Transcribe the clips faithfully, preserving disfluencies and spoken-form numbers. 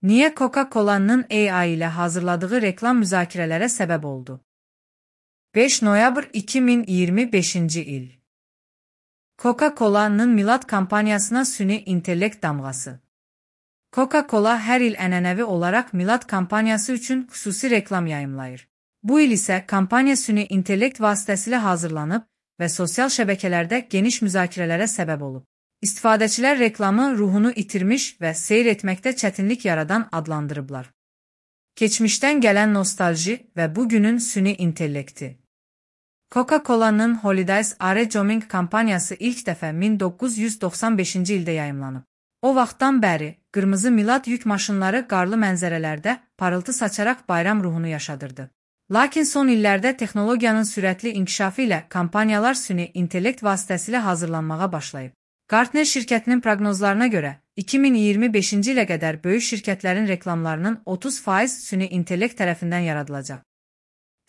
Niye Coca-Cola'nın A I ile hazırladığı reklam müzakirelere sebep oldu? beş noyabr iki min iyirmi beşinci il. Coca-Cola'nın Milad kampanyasına süni intellekt damğası. Coca-Cola her il ənənəvi olarak Milad kampanyası üçün xüsusi reklam yayımlayır. Bu il ise kampanya süni intellekt vasitəsilə hazırlanıb və sosial şəbəkələrdə geniş müzakirələrə səbəb olub. İstifadəçilər reklamı ruhunu itirmiş və seyr etməkdə çətinlik yaradan adlandırıblar. Keçmişdən gələn nostalji və bugünün süni intellekti. Coca-Cola'nın Holidays Are Coming kampanyası ilk dəfə min doqquz yüz doxsan beşinci ildə yayımlanıb. O vaxtdan bəri, qırmızı Milad yük maşınları qarlı mənzərələrdə parıltı saçaraq bayram ruhunu yaşadırdı. Lakin son illərdə texnologiyanın sürətli inkişafı ilə kampanyalar süni intellekt vasitəsilə hazırlanmağa başlayıb. Gartner şirkətinin proqnozlarına görə, iki min iyirmi beşinci ilə qədər böyük şirkətlərin reklamlarının otuz faiz süni intellekt tərəfindən yaradılacaq.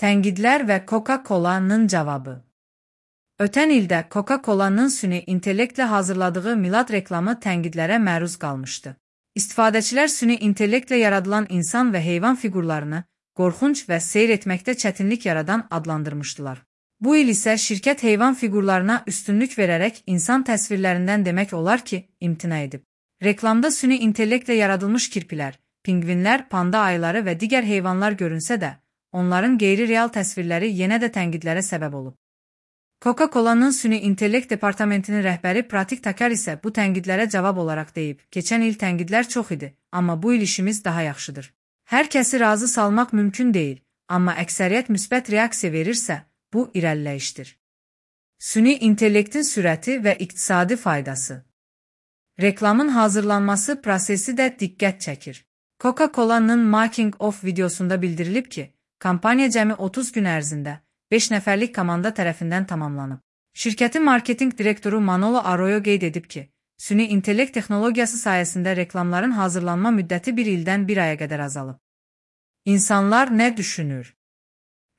Tənqidlər və Coca-Cola'nın cavabı. Ötən ildə Coca-Cola'nın süni intellektlə hazırladığı Milad reklamı tənqidlərə məruz qalmışdı. İstifadəçilər süni intellektlə yaradılan insan və heyvan fiqurlarını qorxunc və seyr etməkdə çətinlik yaradan adlandırmışdılar. Bu il isə şirkət heyvan fiqurlarına üstünlük verərək insan təsvirlərindən demək olar ki, imtina edib. Reklamda süni intellektlə yaradılmış kirpilər, pingvinlər, panda ayıları və digər heyvanlar görünsə də, onların qeyri-real təsvirləri yenə də tənqidlərə səbəb olub. Coca-Cola'nın süni intellekt departamentinin rəhbəri Pratik Takar isə bu tənqidlərə cavab olaraq deyib, keçən il tənqidlər çox idi, amma bu il işimiz daha yaxşıdır. Hər kəsi razı salmaq mümkün deyil, amma əksəriyyət müsbət reaksiya verirsə, bu irəliləyişdir. Süni intellektin sürəti və iqtisadi faydası. Reklamın hazırlanması prosesi də diqqət çəkir. Coca-Cola'nın Making of videosunda bildirilib ki, kampanya cəmi otuz gün ərzində beş nəfərlik komanda tərəfindən tamamlanıb. Şirkətin marketinq direktoru Manolo Arroyo qeyd edib ki, süni intellekt texnologiyası sayəsində reklamların hazırlanma müddəti bir ildən bir aya qədər azalıb. İnsanlar nə düşünür?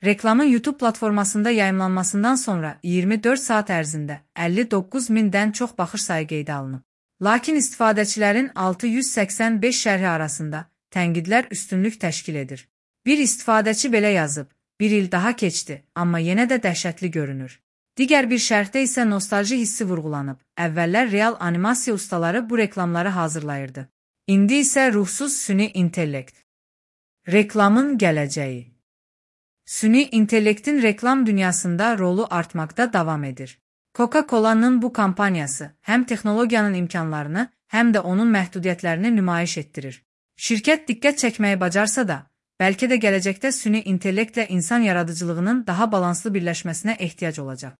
Reklamın YouTube platformasında yayımlanmasından sonra iyirmi dörd saat ərzində əlli doqquz mindən çox baxış sayı qeydə alınıb. Lakin istifadəçilərin altı yüz səksən beş şərhi arasında tənqidlər üstünlük təşkil edir. Bir istifadəçi belə yazıb, bir il daha keçdi, amma yenə də dəhşətli görünür. Digər bir şərhdə isə nostalji hissi vurğulanıb. Əvvəllər real animasiya ustaları bu reklamları hazırlayırdı. İndi isə ruhsuz süni intellekt. Reklamın gələcəyi. Süni intellektin reklam dünyasında rolu artmaqda davam edir. Coca-Cola'nın bu kampanyası həm texnologiyanın imkanlarını, həm də onun məhdudiyyətlərini nümayiş etdirir. Şirkət diqqət çəkməyi bacarsa da, bəlkə də gələcəkdə süni intellektlə insan yaradıcılığının daha balanslı birləşməsinə ehtiyac olacaq.